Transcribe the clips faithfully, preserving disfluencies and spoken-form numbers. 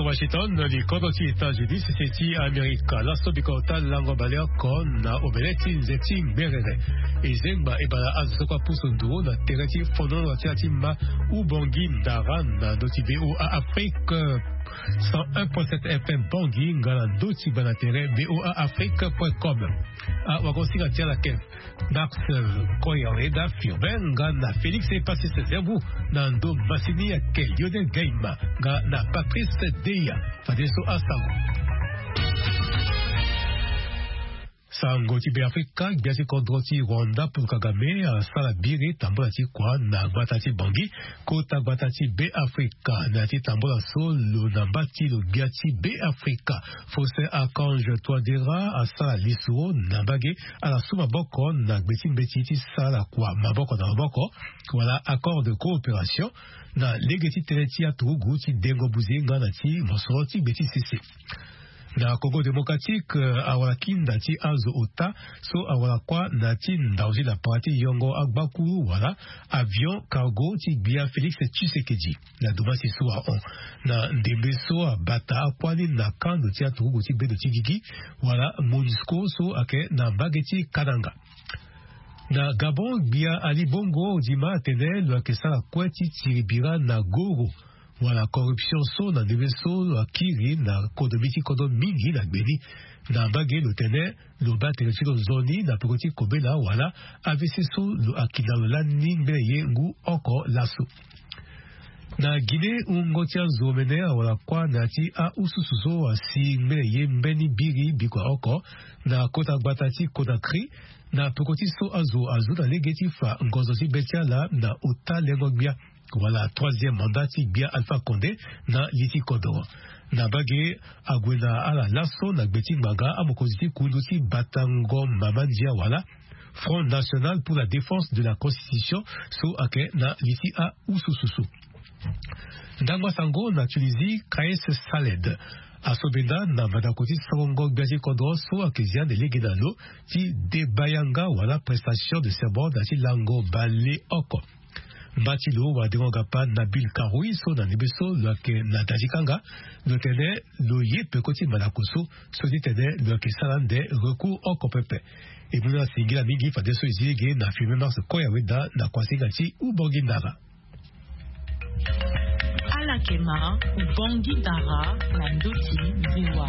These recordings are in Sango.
Washington, likodro ti États-Unis, sese ti Amerika. Laso biko ota lango baleoko na omene ti nze ti ngberere. E zengba e bala azo so kue apusu nduru na tere ti fondolo ti ala ti ma. Ubongi ndara na ndö ti VOA Afrique cent un point sept F M Bangui nga na ndö ti gba na tere VOA Afrique point com. Awagosinga ti ala ake Max Koyaweda Furben nga na Félix Epassis Zerbu, na ndo masini ake Lionel Gaima nga na Patrice Deya. Fadeso asango. Sango ti Beafrika, gbia ti kodro ti Rwanda Paul Kagame asara biri tambula ti kua na gbata ti Bangui, kota gbata ti Beafrika. Na ya ti tambula so lo na mba ti lo gbia ti Beafrika Faustin Archange Touadéra asara lisoro na mbage ala su maboko na gbe ti mbeti ti sara kua maboko na maboko, wala accord de coopération, na lege ti tënë ti aturugu ti dengo buze nga na ti mosoro ti gbe ti sese. Na Congo Démocratique, awara kinda ti azo ota so awara kuâ na ti ndau ti lapara ti yongo agbakuru wala avion cargo ti gbia Félix Tshisekedi. Na domasi so ahon na ndembe so abata akuâ ni na kando ti aturugu ti bedo ti gigi wala MONUSCO so ayeke na mbage ti Kananga. Na Gabon, gbia Ali Bongo Ondimba atene lo yeke sara kue ti tiri bira na goro wala corruption so na ndembe so lo akiri na kodomi ti kodro mingi na gbe ni. Na mbage lo tene lo baa tere ti lo nzoni na peko ti kobela wala A V C so lo akiri na lo lani ni mbeni ye ngu oko laso. Na Guinée, wungo ti azo omene awara kuâ na ya ti aususu so asi mbeni ye mbeni biri bikua oko na kota gbata ti Conakry, na peko ti so azo azu na lege ti fa ngonzo ti be ti ala na ota lengo gbia wala troisième mandat ti gbia Alpha Condé na li ti kodoro. Na mbage ague na ala laso na gbe ti ngbanga amokonzi ti kundu ti batango mama ndia wala Front National pour la Défense de la Constitution so ayeke na li ti aususu so. Ndangba sango na Tunisie, Kais Saied asobenda na mandako ti songo gbia ti kodro so ayeke zia ande lege na lo ti deba yanga wala prestation de serment na ya ti lango baleoko. Mba ti lo wadengo-gapa Nabil Karoui so na ndembe so lo yeke na da ti kanga, lo tene lo ye peko ti mandako so, so ti tene lo yeke sara ande recours oko pepe. E mu na singila mingi fadeso e zi lege na Firmin Mars Koyaweda na kuasinga ti Ubongi Ndara. Ala yeke ma Ubongi Ndara na ndö ti VOA.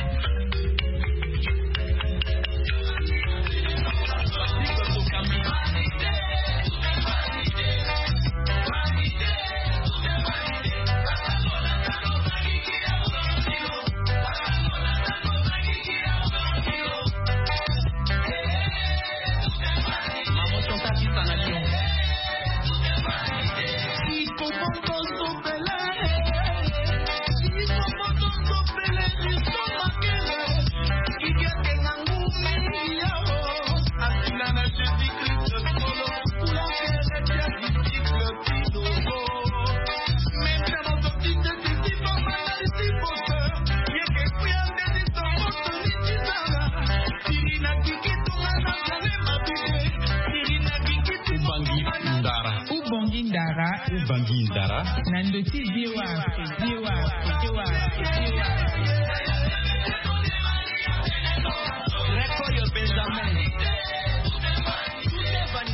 Ubongi Ndara. Ubongi Ndara. Ubongi Ndara. Na ndö ti VOA Afrique. VOA Afrique. VOA Afrique.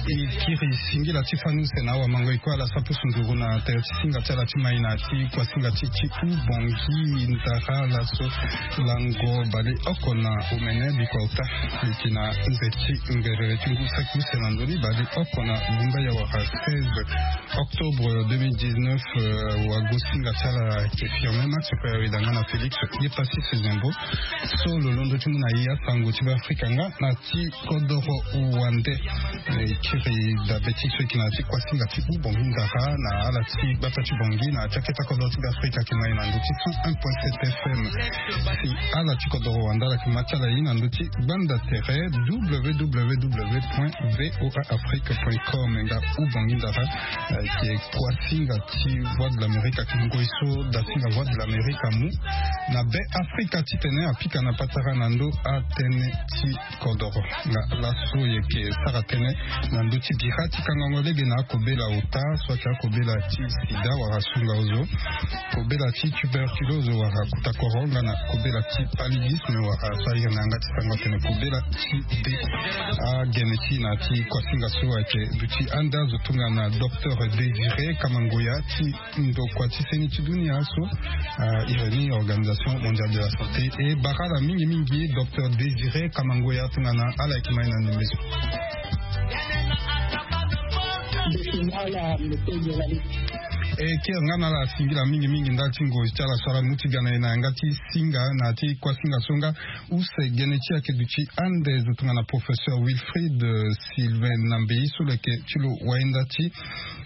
E kiri singila ti fani use na awamango e kue ala sa pusu nduru na tere ti singa ti ala ti mai na ti kuasinga ti ti Ubongi Ndara laso lango baleoko na omene bikua ota. E yeke na nze ti ngerere ti ngu saki use na ndoni baleoko na bumba ya wara seize octobre deux mille dix-neuf. Wagosinga ti ala ayeke Firmin Mars Koyaweda nga na Félix Epassis Zembo so lo londo ti mu na e asango ti Beafrika nga na ti kodoro wande. E kiri dabe ti so e yeke na ya ti kuasinga ti Ubongi Ndara na ala ti gbata ti Bangui na ya ti akete kodoro ti Beafrika ayeke na e na ndö ti cent un point sept F M. Si ala ti kodoro wande ala yeke ma ti ala ye na ndö ti gbanda tere www point voa afrique point com. Nga Ubongi Ndara ayeke kuasinga ti Voix de l'Amérique, ayeke ngoi so dasinga Voix de l'Amérique amu na Beafrika titene apika na patara na ndö atënë ti kodoro. Nga laso e yeke sara tënë na ndö ti Ira ti kangango lege na akobela ota so ake akobela ti sida wala sunga ozo, kobela ti tuberculose wala kutakoro nga na kobela ti paludisme wala so airi na yanga ti sango atene kobela ti be. Agene ti na ti kuasinga so ayeke duti ande azo tongana docteur Désiré Kamangoya ti ndokua ti seni ti dunia so, ah, iri ni Organisation Mondiale de la Santé. E bara ala mingi mingi docteur Désiré Kamangoya tongana ala yeke mai na ndembe so. E kiri nga na ala singila mingi mingi ndali ti ngoi ti ala so ala mu ti ga na e na yanga ti singa na ti kuasinga so nga use gene ti ayeke duti ande zo tongana professeur Wilfried, euh, Sylvain Nambei so lo yeke ti lo wainda ti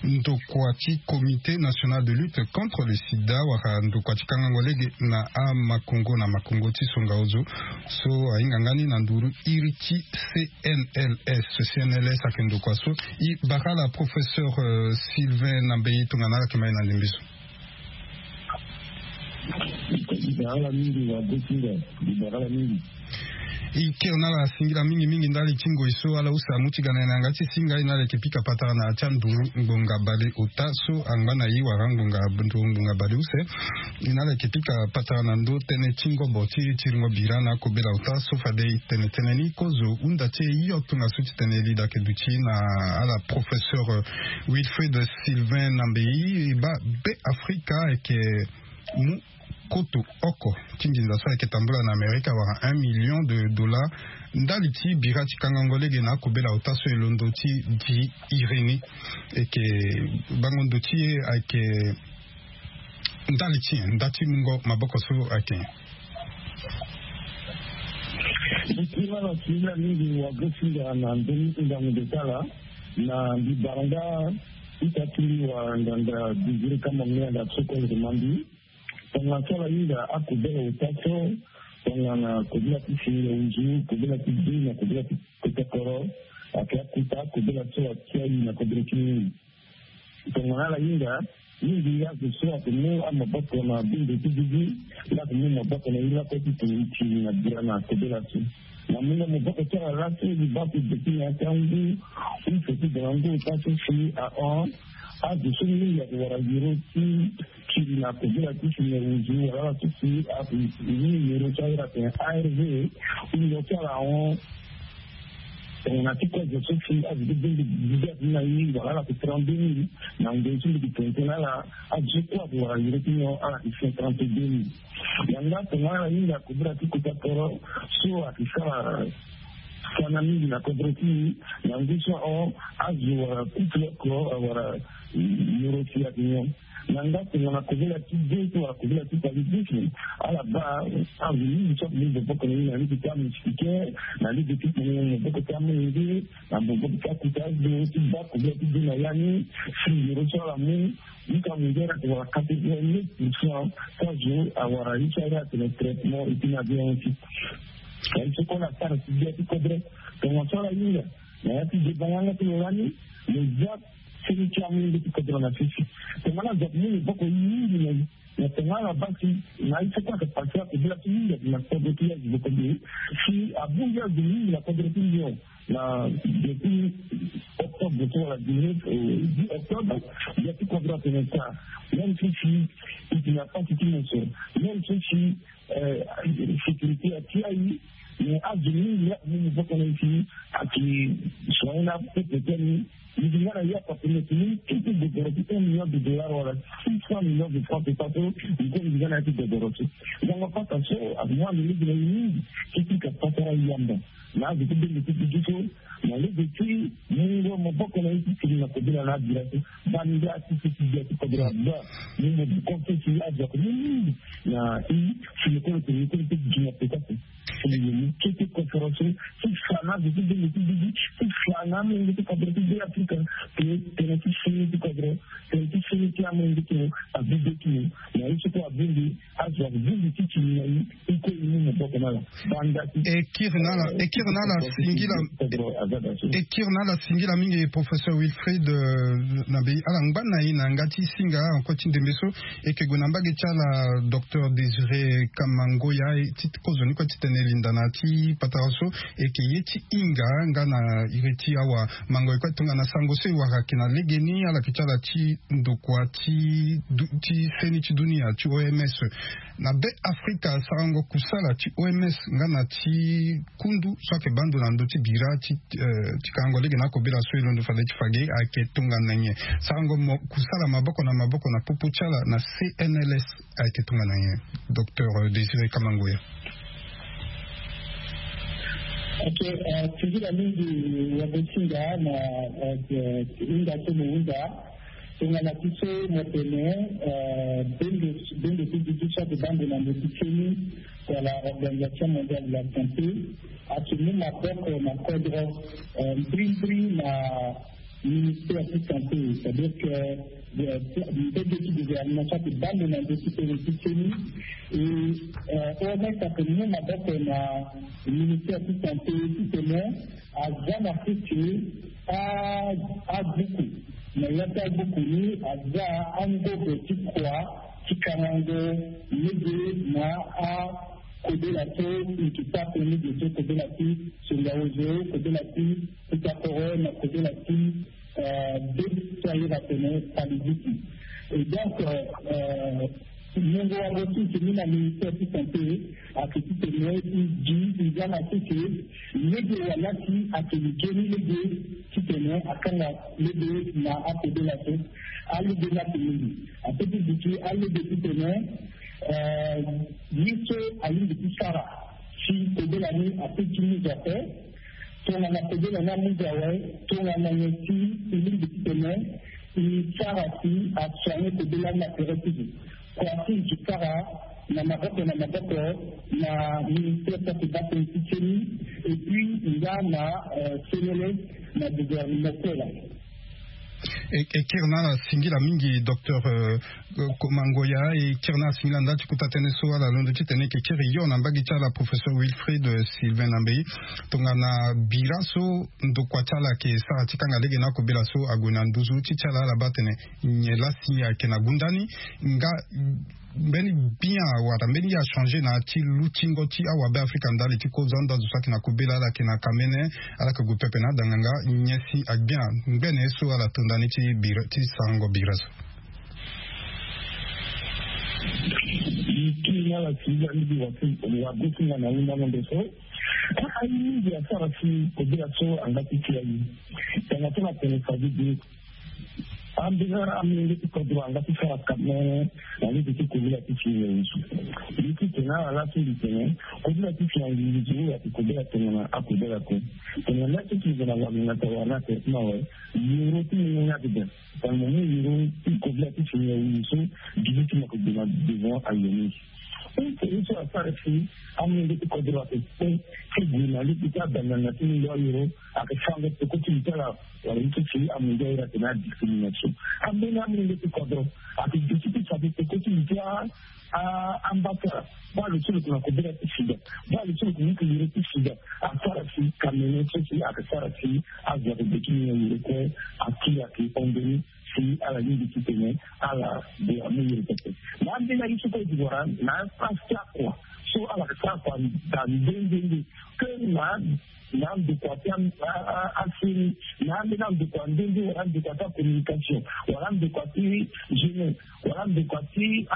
ndokua ti Comité National de Lutte contre le sida wala ndokua ti kangango lege na amakongo na makongo ti songa ozo so ahinga nga ni na nduru iri ti C N L S. C N L S ayeke ndokua so. E bara ala professeur, euh, Sylvain Nambei tongana ala yeke mai na ndembe so. Di bara ala mingi wa gosinga, di bara ala mingi. E kiri na ala singila mingi mingi ndali ti ngoi so ala use amu ti ga na e na yanga ti singa e na ala yeke pika patara na ya ti anduru ngbonga bale ota so angba na e wala ngbonga nduru ngbonga bale use. E na ala yeke pika patara na ndö tënë ti ngobo ti tiringo bira na akobela ota so fade e tene tënë ni kozo hunda ti e hio tongaso ti tene e lida yeke duti na ala professeur, euh, Wilfried Sylvain Nambei. E baa Be Afrika ayeke mu koto oko ti nginza so ayeke tambula na Amerika wala un million de dollars ndali ti bira ti kangango lege na akobela ota so e londo ti di iri ni. Eke bango ndo ti e ayeke ndali ti nyen nda ti mungo maboko so ayeke nyen? Mbi kiri na ala singila mingi wa gosinga na ndö ni ndangu ndo ti ala na mbi bara nga ita ti mbi wa nganga Désiré Kamangoya na so kue lo demande. Tongana so ala hinga akobela ota so tongana kobela ti singa nzu, kobela ti dei na kobela ti kota koro, ayeke akuta akobela so atia e na kodro ti mingi. Tongana ala hinga mingi azo so ayeke mu amaboko na bendo ti gigi, nda ayeke mu maboko na e lakue ti tene e ti na bira na kobela so. Na mungo maboko ti ala laa so e baa so e de ti na ya ti angu use ti dara ngu ota so si ahon azo so mingi ayeke wara yoro ti kiri na kobela ti si na wuzu wala ala so si ape ni yoro so ahiri atene A R V. Wungo ti ala ahon tongana ti kozo so si azo ti benge bibe ati ni na ye wala ala yeke trente-deux mille. Na ngoi so mbi yeke tene tënë na ala azo so kue ayeke wara yoro ti nyon ala yeke cinquante-deux mille. Yanga tongana ala hinga kobela ti kota koro so ayeke sara sana mingi na kodro ti e. Na ngu so ahon azo wala kutu oko awara yoro ti ayeke nyon. Na nga tongana kobela ti be so wala kobela ti paludisme, ala baa azo mingi so ayeke mu maboko na e na lege ti amoustiquaire, na lege ti mu maboko ti amolenge, na maboko ti akuta azo ti baa kobela ti be na ya ni. Si yoro so ala mu jusqu'à mundele ayeke wala quatre-vingt-neuf pour cent ti azo awara ye so ahiri atene traitement et puis na bien aussi. Aye so kue ala sara ti gbia ti kodro. Tongana so ala hinga na ya ti deba yanga ti lo lani, lo za seni ti amolenge ti kodro na sese. Tongana azo ayeke mu maboko mingi na na tongana ala baa si na aye so kue ayeke pase akobela ti mingi ayeke na kodro ti azo kobe. Si abongbi azo mingi na kodro ti nyon na depuis octobre so wala dix-neuf, euh, dix octobre, gbia ti kodro atene ta. Même si si e tene apasi ti mo so, même si si, euh, sécurité atia e, mais azo mingi la mu maboko na e si ayeke soigner na pepe ti ani. Mbi nga na ya papi na tini ti ti gogoro ti un million de dollars wala six cent millions de francs CFA so. Mbi nga na ya ti gogoro so. Yango pasa so amu ande lege na e mingi ti pika patara yamba na azo ti benge ti dudu so. Na lege ti mungo maboko na e ti tene na kobela na abira so. Banda ti ti ti gbia ti kodro abaa mu maboko ti si azo ako mu mingi na e. Si lekolo tene lekolo ti gi na peka so. Kete koforo so ti fa na azo ti benge ti dudu, ti fa na amolenge ti kodro ti be Afrika. Tene ti seni ti kodro, tene ti seni ti amolenge ti mo, abibe ti mo. Na ye so kue abongbi azo abongbi ti tini na e. E kue e mu maboko na ala. Banda ti e kiri na ala, e kiri na ala singila. E kiri na ala singila mingi professeur Wilfried, euh, na be ala ngba na e na yanga ti singa encore ti ndembe so. E yeke gue na mbage ti ala docteur Désiré Kamangoya ti kozoni kue ti tene Linda na ti patara so eke ye ti hinga nga na iri ti awa mango e kue tongana sango so e wara ayeke na legeni ala yeke ti ala ti ndokua ti du- ti seni ti dunia ti O M S. Na be Afrika, sarango kusala ti O M S nga na ti kundu so ayeke baa ndo na ndö ti bira ti ti kangango lege na akobela so e londo fade ti fa ge ayeke tongana nyen? Sarango kusala maboko na maboko na popo ti ala na C N L S ayeke tongana nyen? Docteur Désiré Kamangoya. Ok. Singila mingi wagosinga na hinga so mo hunda. Tongana ti so mo tene bendo ti duti so ake baa ndo na ndö ti seni wala Organisation Mondiale de la Santé ake mu maboko na kodro mbrimbri na ministère ti santé, c'est-à-dire que mbege ti gouvernement so ake baa ndo na ndö ti seni ti seni. E O M S ake mu maboko na ministère ti santé titene aza na sese abuku na ya ti abuku ni aza angobo ti kua ti kangango lege na akobela so e ke sara pe lege so kobela ti songa ozo, kobela ti kuta koro na kobela ti be ti ayere atene paludisme. Et donc mungo wago ti e ke mu na ministère ti santé ake titene e gi e za na sese lege wala si ake gi geni lege titene akanga lege na akobela so. Alege ni ake mingi ape ti duti alege titene ye so alingbi ti sara si kobela ni ape ti mu zo ape. Tongana kobela ni amu zo awe tongana nyen si e lingbi titene e sara si asoigne kobela ni na tere ti zo. Kua ti e ke sara na maboko na maboko na ministère ti ake baa tënë ti seni et puis nga na C N L S na gouvernement ti ala. E kiri na ala singila mingi docteur Kamangoya. E kiri na ala singila ndali ti kota tënë so ala londo titene e ke kiri yo na mbage ti ala professeur Wilfried Sylvain Nambey. Tongana bira so ndokua ti ala ake sara ti kanga lege na akobela so ague na nduzu ti ti ala ala baa atene nyen laa si ayeke na gunda ni nga mbeni bien wala mbeni ye achangé na ya ti lutingo ti awabe afrika ndali ti kozia ndo azo so ayeke na kobela ala ayeke na kamene ala yeke gue pepe na adanganga nyen si agbia ngbene so ala to ndani ti bira ti sarango bira so. Kiri na ala si ya ni bi wa ti wa go ti nga na hunda na ndo so. Ayi mingi asara si kobela so anga ti ti ayi. Tanga so na tene fadi bi ambeni amolenge ti kodro anga ti sara kame na lege ti kobela ti fi nyen so. Mbi ti tene ala laa so mbi tene kobela ti fi angingi zo oyo ake kobela tongana akobela ko. Tongana laa so ti zo na wamingata wala na traitement awe yoro ti nyengo ni ake daa. Tongana mo mu yoro ti kobela ti fi nyen so gigi ti mo ake gue na devant ayo mingi. Use ye so asara si amolenge ti kodro ake kpe ti gue na lege ti abandanga ti mungo ayoro ake fango peko ti li ti ala. Wala ye ti si amungo ayoro atene adiscrimination. Ambeni amolenge ti kodro ake duti ti fa ti peko ti li ti a ambassadeur. Baa lo so lo yeke na kobela ti sida. Baa lo so lo yeke mu ti yoro ti sida. Asara si kamene so si ake sara si azo ake gue ti mu na yoro kue. Aki ake hon mbeni si ala lingbi titene ala gue amu yoro pepe. Na ambeni aye so kue e zi wara na apasi ti akua so ala yeke sara kua daa nde nde nde. Ke na na andokua ti aseni na ambeni andokua nde nde wala andokua ti acommunication wala andokua ti jeunesse wala andokua ti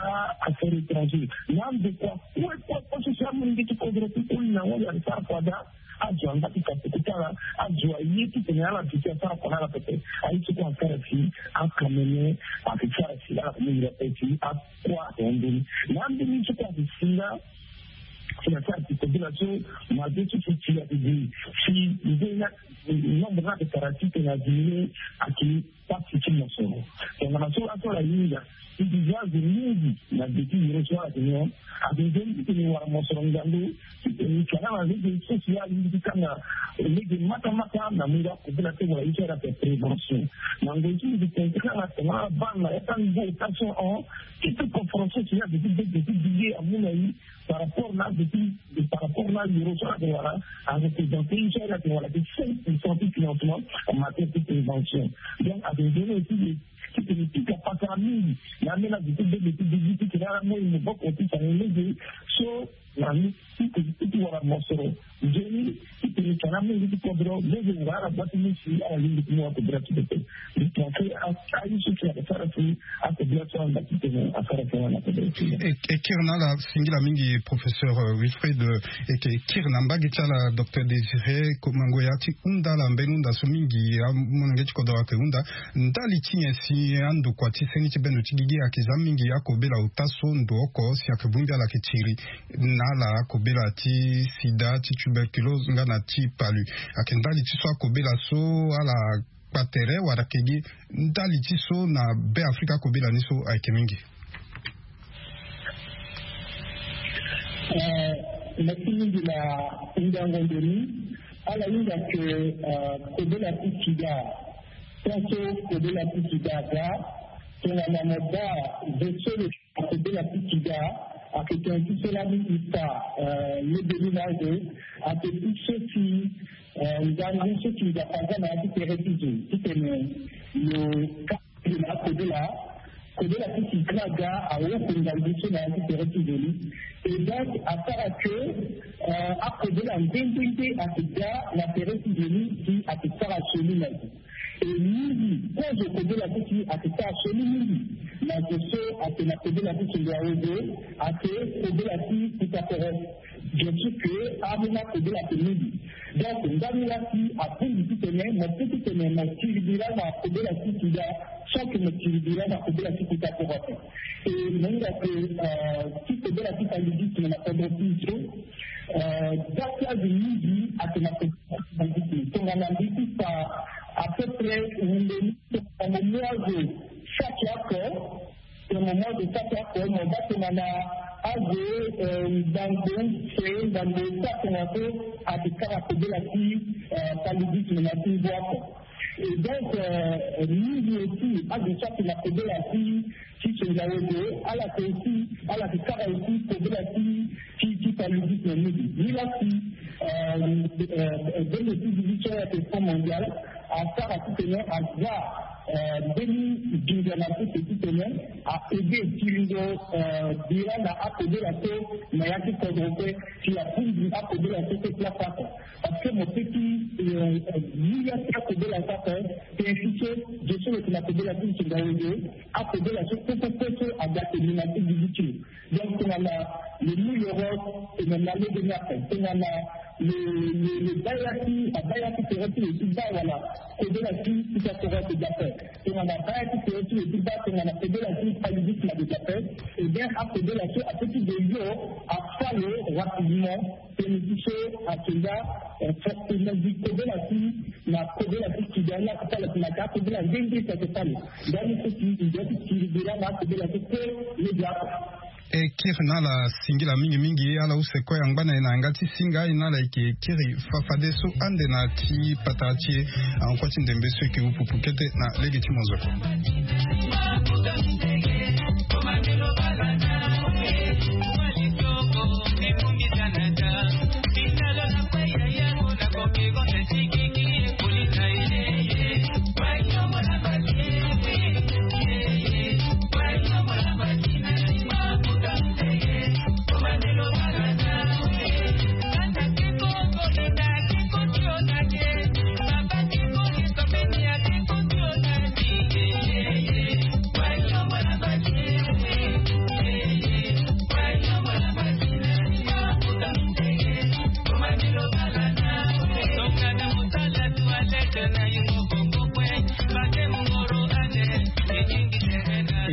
affaire étrangère na andokua kue kue kue so si amolenge ti kodro ti koli na ngoi ake sara kua daa. Azo anga ti fa peko ti ala azo aye titene ala duti asara kua na ala pepe. Aye so kue asara si akamene ake sara si ala kue mu iri ape si akua ake hon mbeni na ambeni so kue ake singa. Si na sara ti kobela so mabe so si ti ake gi si nzoni na nombre na ake sara titene adimine ake pasi ti mosoro. Tongana so aso ala hinga ti gi azo mingi na be ti yoro so ala yeke nyon ake nzoni titene wara mosoro ngangu titene ti ala na lege so si ala lingbi ti kanga lege matamata na mungo akobela te wala ye so ala yeke prévention. Na ngoi so mbi tene ti kanga tongana ala baa na ya ti ango tension hon ti ti conférence so si ala yeke ti bege ti bige amu na ye. Par rapport na azo ti par rapport na ayoro so ala yeke wara a représenter ye so ala yeke wara ti cinq pour cent ti financement en matière ti prévention. Donc ayeke nzoni aussi de titene ti ka pasara mingi na ambeni azo ti bege ti bigi titene ala mu ye maboko ti sara ye lege so na ni titene ti wara mo Mingi ti kodro lege nga ala bati ni si ala lingbi ti mu akobela ti pepe. Li pense aye so si ala sara si akobela so ala ti tene asara so ala kodro ti. E kiri na ala singila mingi professeur Wilfried. E kiri na mbage ti ala docteur Désiré Komangoya ti hunda ala mbeni hunda so mingi amolenge ti kodro ayeke hunda. Ndali ti nyen si andokua ti seni ti bendo ti gigi ayeke za mingi akobela ota so ndo oko si ayeke bongbi ala ayeke tiri na ala akobela ti sida, ti tuberculose nga na ti palu? Ayeke ndali ti so akobela so ala kpa tere wala ayeke gi ndali ti so na Be Afrika akobela ni so ayeke mingi? Merci mingi na hingango ndoni. Ala hinga ke kobela ti sida, tant so kobela ti sida aga tongana mo baa zo so lo kobela ti sida ayeke tene ti so lani e fa lege ni na azo. Ayeke ti so si ngangu so si nzapa aza na ya ti tere ti zo titene lo ka na akobela. Kobela ti sida aga awoko ngangu so na ya ti tere ti zo ni. E donc asara ke akobela nde nde nde ayeke ga na tere ti zo ni si ayeke sara sioni na zo. E mingi kozo kobela so si ayeke sara sioni mingi na zo so ayeke na kobela ti singila awe zo ayeke kobela ti kutakoro. Bien sûr que amena kobela ayeke mingi. Donc ndani la si abongbi titene mo pe titene mo tiri bira na kobela ti sida sans que mo tiri bira na kobela ti kutakoro ape. E mo hinga ke ti kobela ti paludisme na kodro ti e so, dati azo mingi ayeke na kobela ti paludisme tongana mbi ti fa à peu près wunde ni tongana mo mu azo saki oko. Tongana mo azo saki oko mo baa tongana azo ngbangbo use ngbangbo use tongana so ayeke sara kobela ti paludisme na ti ngu oko. Et donc mingi aussi azo so ayeke na kobela ti ti sonza wege ala yeke aussi ala yeke sara aussi kobela ti ti ti paludisme mingi. Ni la si bendo ti division ya question mondiale asara titene aza mbeni ginza na sese titene a aide tiringo bira na akobela so na ya ti kodro pe si abongbi akobela so so place oko. Parce que mo pe ti lia ti akobela so oko tene ti so zo so lo yeke na kobela ti nsinga wenge akobela so kue kue kue so aga tene na ti gigi ti lo. Donc tongana le mouilleros tongana lege ni ape tongana le le le baya ti abaya ti tere ti lo ti baa wala kobela ti ti ta tere ti dape tongana baya ti tere ti lo ti baa tongana kobela ti paludisme de dape. Eh bien akobela so ape ti de yo afa lo rapidement. Tene ti so ayeke nga forcément gi kobela ti na kobela ti sida ni ayeke sala ti na ka kobela nde nde si ayeke sala. Ndani so si i doit ti kiri bira na akobela so kue lege oko. E kiri na ala singila mingi mingi ala use kue angba na e na yanga ti singa e na ala yeke kiri fafadeso ande na ti patara ti e. Ahon kue ti ndembe so yeke upupu kete na lege ti monzoko.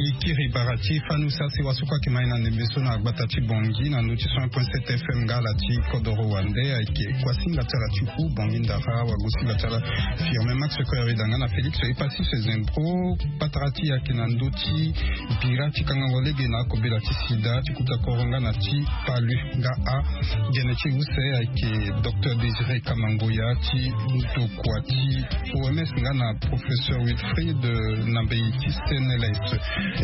Ikiri bara ti fanu sase wasukua ke mai na ndembe so na gbata ti bongi na ndö ti cent point sept F M nga ala ti kodoro wande ayeke kuasinga ti ala ti hu bongi ndara wagosinga ti ala firme max koyarida nga na félix epassis zembro. Patara ti e ayeke na ndö ti bira ti kangango lege na akobela ti sida ti kuta koro nga na ti palu nga a gene ti use ayeke docteur désiré kamangoya ti ndokua ti oms nga na professeur wilfried na mbei ti cnls.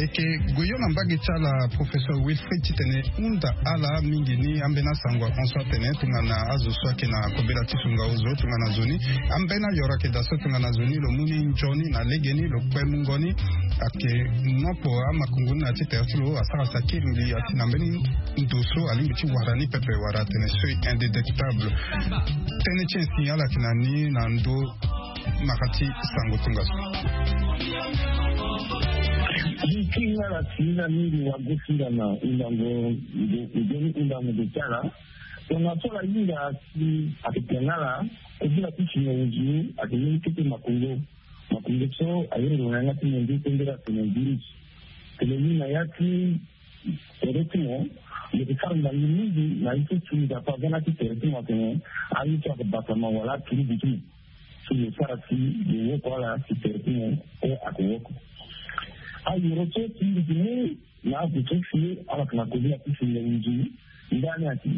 Ke goyo na mbage ti ala professeur Wilfried titene hunda ala mingi ni ambeni asango akonso atene tongana azo so ayeke na kobela ti songa ozo tongana zo ni ambeni ayoro ayeke daa so tongana zo ni lo mu ni nzoni na legeni lo kpe mungo ni. Ayeke nopo amakongo ni na ya ti tere ti lo asara si akiri mbi ati na mbeni ndo so alingbi ti wara ni pepe wala atene seuil indétectable. Tënë ti insignal ayeke na ni na ndo mara ti sango tongaso. Nki nga la si na mingi wa gosi nga na undango nde nde ni undango nde ti ala. Tongaso la hinga si ayeke tene ala kobela ti si na uzu ayeke ni kete makongo. Makongo so ayere lo na yanga ti mo nde tendere atene virus. Tene ni na ya ti tere ti mo lo yeke sara ndangi mingi na ye so si nzapa aza na ya ti tere ti mo atene aye so ayeke batama wala aturugu ti mo. Si lo sara si lo woko ala si tere ti mo kue ayeke woko. Ayoro so si lo yeke mu na azo so si ala yeke na koli ati si lo nzi ndani ati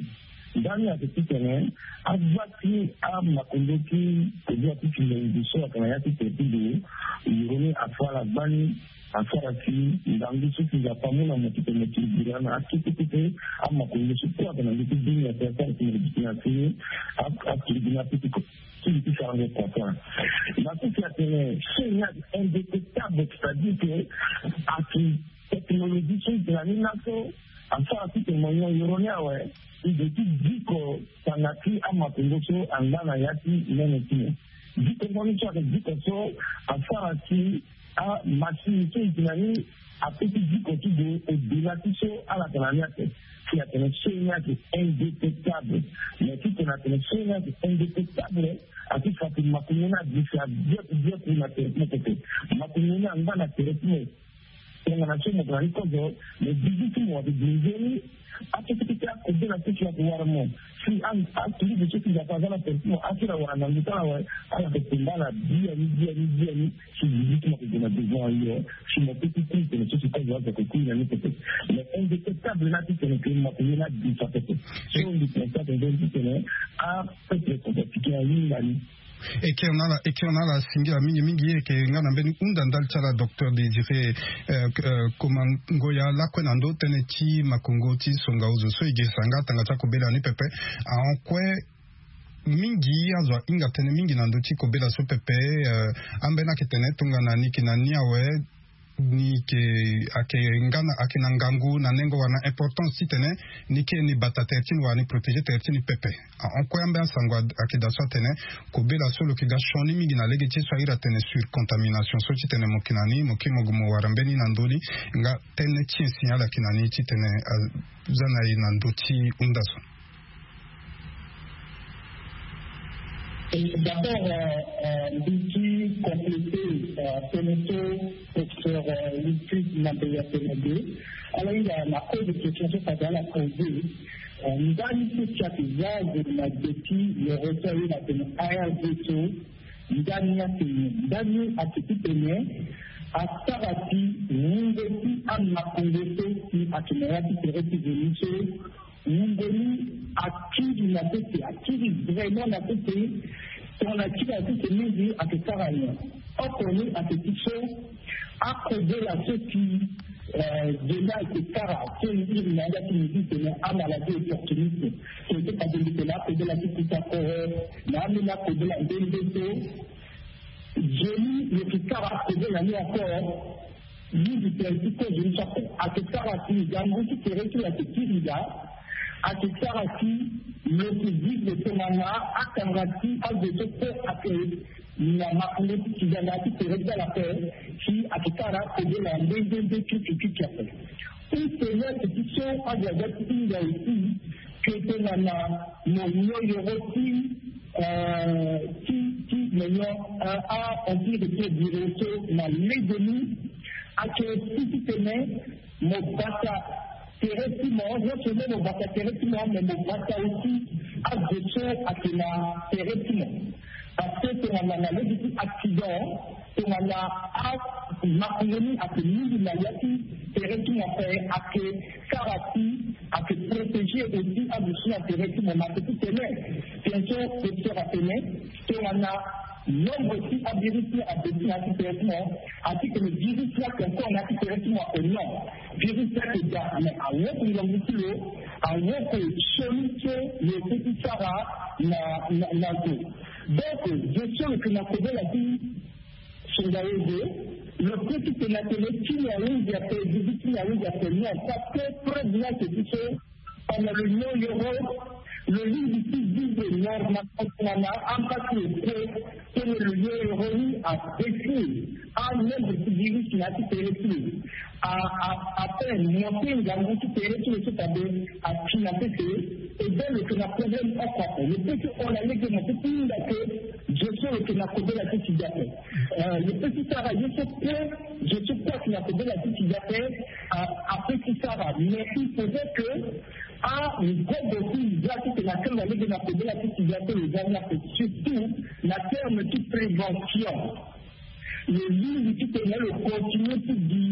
ndani ati titene aza ti amakondo ti koli ati si lo nzi so ayeke na ya ti tere ti lo. Yoro ni afa ala gbani asara si ndangu so si nzapa amu na mo titene mo kiri bira na akete kete amakondo so kue ayeke na ndö ti dunia ti asara si mo kiri bira na asini akiri bira na apetiko. Ti li ti sarango kua kua na so si atene chaine ni ayeke indétectable, c'est-à-dire que ayeke technologie so e tene na ni laso asara titene mo nyon yoro ni awe. E de ti diko tanga ti amakongo so angba na ya ti nene ti mo. Diko ngo ni so ayeke diko so asara si amachine so e tene na ni ape ti diko ti gue au-delà ti so ala yeke na ni ape. Si atene chaine ni ayeke indétectable. Mais titene atene chaine ni ayeke indétectable, ati fa ti makongo ni adi si abiaku biaku na tere ti mo pepe. Makongo ni angba na tere ti mo. Tongana so mo yeke na ni kozo, mais bizi ti mo ayeke gue nzoni. Akete kete akobela so si ayeke wara mo. Si a, aturugu so si nzapa aza na tere ti mo, asara wara na ngu ti ala awe, ala yeke tomba ala biani biani biani. Si bizi ti mo ayeke gue na devant ayo, si mo pe ti kui tene so si kozo azo ayeke kui na ni pepe. Mais indétectable ni ati tene ke mo yeke ye ni adi fa pepe. So mbi tene ti ake nzoni ti tene apeuple centrafricain ahinga ni. E kiri na ala, e kiri na ala singila mingi mingi. E yeke nga na mbeni hunda ndali ti ala docteur Désiré, euh, euh, Komangoya lakue na ndö tënë ti makongo ti songa ozo so e girisa nga tanga ti akobela ni pepe. Ahon kue mingi azo ahinga tënë mingi na ndö ti kobela so pepe, euh, ambeni ayeke tene tongana ni yeke na ni awe, ni yeke, ayeke nga na, ayeke na ngangu na nengo wala na importance titene ni kiri ni bata tere ti ni wala ni protéger tere ti ni pepe. Ahon kue ambeni asango ayeke daa so atene kobela so lo yeke ga sioni mingi na lege ti so airi atene surcontamination so titene mo yeke na ni mo kiri mo gue mo wara mbeni na ndö ni. Nga tënë ti insignal ayeke na ni titene aza na e na ndö ti hunda so. D'abord, euh, euh, mbi ti compléter, euh, tënë so professeur, euh, Wilfried Mambeya atene de. Ala hinga na cause de question so fade ala poser. Euh, ndani so si ayeke za azo na gbe ti yoro so aye na tene A R D so, ndani atene, ndani ayeke titene asara si wungo ti amakongo so si ayeke na ya ti tere ti veni so, wungo ni akiri na sese, akiri vraiment na sese. Tongana akiri na sese mingi ayeke sara nyen? Oko ni ayeke ti so akobela so si, euh, zo ni ayeke sara so e iri na yanga ti mbi ti tene amaladie opportuniste. So e ti fade mbi tene akobela ti kuta koro na ambeni akobela nde nde so. Zo ni lo yeke sara akobela ni encore. Mingi tere ti kozo ni so ape ayeke sara si ngangu ti tere ti lo ayeke kiri daa. Ayeke sara si lo yeke vivre tongana akanga ti azo so kue ayeke na makongo ti kizanga ti tere ti ala ape. Si ayeke sara akobela nde nde nde ti ti ti ape. Outre ni ayeke ti so azo aga ti hinga aussi que tongana mo nyon yoro ti, euh, ti, ti mo nyon, euh, a-empire ti biro so na lege ni, ayeke aussi titene mo bata tere ti mo, non seulement mo bata tere ti mo, mais mo bata aussi azo so ayeke na tere ti mo. Parce que tongana na lege ti accident, tongana amakongo ni ayeke mingi na ya ti tere ti mo ape, ayeke sara si ayeke protéger aussi azo so na tere ti mo. Na ayeke ti tene, tene so professeur atene, tongana Nombre ti avirus ni abaisse na ya ti tere ti mo. Ati tene virus ni ake encore na ya ti tere ti mo ake non. Virus ni ake daa mais awoko ngangu ti lo. Awoko sioni so lo peut ti sara na na na zo. Donc gestion lo yeke na kobela ti songayozo. Lo peut ti tene atene ti ni ahunzi ape, virus ti ni ahunzi ape non, parce que preuve ni ake ti so. Pendant le non yoro, lo lingbi ti vivre normalement tongana ambasi lo kue. Tene lo non yoro ni abaisse. Anombre ti virus na ya ti tere ti lo a a apeine monte ngangu ti tere ti lo so fade ati na sese. E bien lo yeke na problème oko ape. Lo peut ti hon na lege mo peut ti hinga ke zo so lo yeke na kobela ti sida ape. Lo peut ti sara ye so kue zo so kue ati na kobela ti sida ape. A a peut ti sara mais il faudrait que a gogo ti za ti tene akanga lege na kobela ti sida so lo za ni ape, surtout na terme ti prévention. Lo lingbi ti tene lo continue ti gi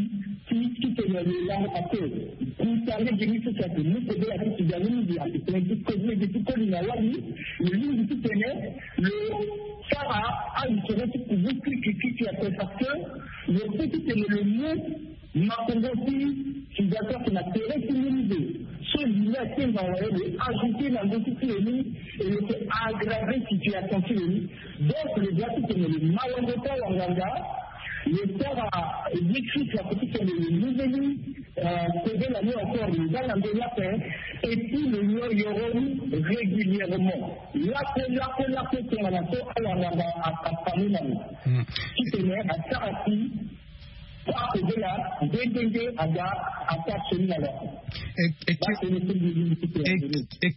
ti ti tene lo lango ape. Kuta lege ni so si ake mu kobela ti sida ni mingi ake tene ti koli lege ti koli na wali. Lo lingbi ti tene lo sara anisoro ti kubu kirikirikiri ape parce que lo peut ti tene lo mu makongo ti sida so ake na tere ti mbi ni zo so li ni atenga waye lo ajouter na ndö ti ti lo ni. E lo yeke aggraver situation ti lo ni. Donc lo doit ti tene lo ma wango ti awanganga. Lo sara ye ti si ake ti tene lo luveni kobela ni encore lo za na ndö ni ape. Et puis lo nyon yoro ni régulièrement. Lakue lakue lakue tongana so awanganga afami na lo ti tene asara si akobela nde nde nde aga asara sioni na lo. E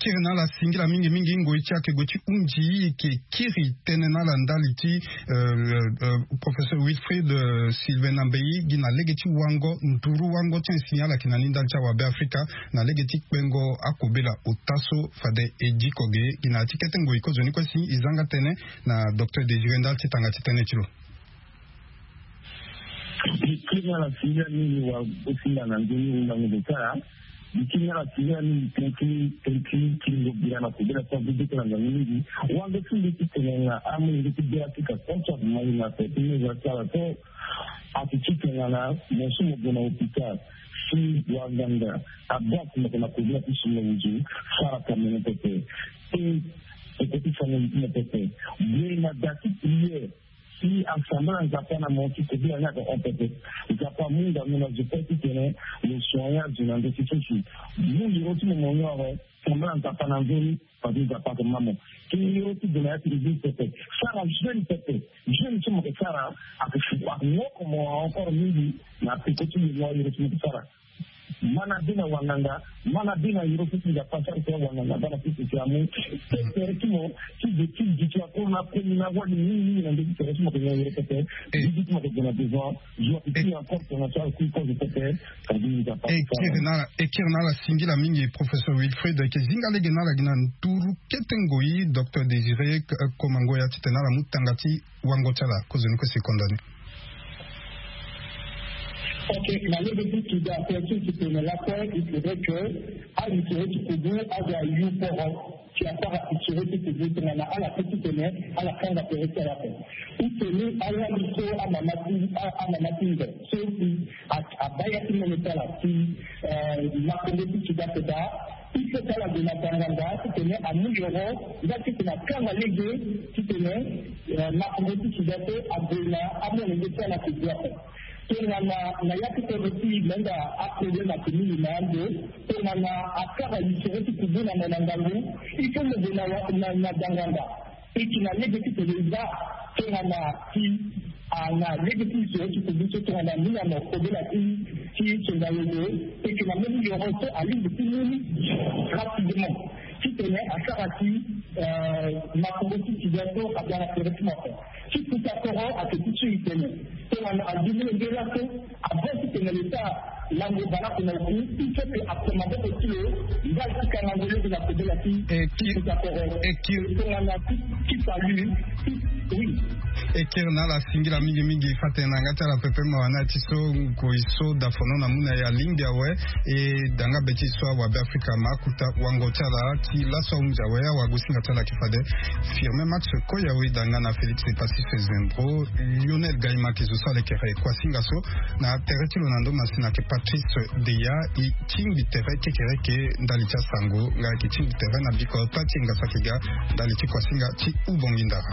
kiri na ala singila mingi mingi ngoi ti ake gue ti hunzi e yeke kiri tënë na ala ndali ti professeur Wilfried Sylvain Nambey gi na lege ti wango nduru wango ti insi ni ala yeke na ni ndali ti awabe Afrika na lege ti kpengo akobela ota so fade e diko ge gi na ya ti kete ngoi kozoni kue si e zanga tënë na docteur Désiré ndali ti tanga ti tënë ti lo. Mbi kiri na ala singila mingi wa osinga na nzoni wundango zo ti ala. Mbi kiri na ala singila mingi tënë ti tënë ti kiringo bira na kobela ti agu bete na ngangu mingi. Wande ti mbi ti tene na amolenge ti bira ti ka contre mali na tene ti meza ti ala so. Ati ti tene na mo so mo gue na hôpital si wanganga abak mo yeke na kobela ti songa wuzu sara kamene pepe. Pe eke ti sanga li ti mo pepe. Gue na da ti prière. Si asambela Nzapa na mo ti kobela ni ayeke hon pepe. Nzapa amu ngangu na zo kue titene lo soigner azo na ndö ti so si. Mu ndiro ti mo mo nyore. Sambela Nzapa na nzoni. Fade Nzapa ayeke ma mo. Kiri ndiro ti gue na ya ti leglize pepe. Sara jeune pepe. Jeune ti mo yeke sara. Ayeke woko mo encore mingi. Na peko ti mo nyore ndiro ti mo yeke sara. Mana be na wanganga. Mana be na yoro so ti Nzapa asara ti wanganga bana so ti amu. Ti tere ti mo ti zo ti gi ti akuru na koni na wani mingi mingi na ndö ti tere ti mo yeke nyon yoro pepe. Gi ti mo yeke gue na devant. Zo ape ti encore tongana so akui kozo pepe. Kadi Nzapa asara. E kiri na ala singila mingi professeur Wilfried ayeke zinga lege na ala gi na nduru kete ngoi docteur Désiré Komangoya titene ala mu tanga ti wango ti ala kozoni kue seconde ni. Ok, na lege ti sida ape ti titene lakue il faudrait que anisoro ti kubu azo ayu poro. Si asara isoro ti kubu tongana ala pe titene ala kanga tere ti ala ape. Titene awali so amama ti amama ti ndo so si abaa ya ti mene ti ala si makongo ti sida ape daa. Il faut ti ala gue na danganda titene amu yoro nga titene akanga lege titene makongo ti sida so ague na amolenge ti ala kubu ape. Tongana na ya ti kodro ti menda aproblème ake mingi na ando. Tongana akara lisoro ti kubu na mo na ngangu. Il faut mo gue na danganda. E yeke na lege ti tene e za tongana ti ana lege ti lisoro ti kubu so tongana mingi na mo kobela ti ti songa yoro. E yeke na mbeni yoro so alingbi ti mu ni rapidement titene asara ti makongo ti sida so aga na tere ti mo ape. Ti kuta koro ake ti so e tene tongana agi molenge laso. Avant titene lo sara lango baleoko na oku il faut que akoma maboko ti lo. Ndali ti kangango lege na kobela ti ti kuta koro. Tongana ti ti salut ti E kiri na ala singila mingi mingi fate na nga ti ala pepe mawa na ti so ngoi so dafono na mu na ya lingbi awe. E danga be ti so awa be afrika ma akuta wango ti ala ti laso ahunzi awe awa gosinga ti ala ki fade firme max koya we danga na félix epassis fezembro lionel gaima ki zo so alekere kuasinga so na tere ti lo na ndo masina ke patrice deya e tingbi tere kekereke ndali ti asango nga yeke tingbi tere na bikota ti enga saki ga ndali ti kuasinga ti ubongi ndara.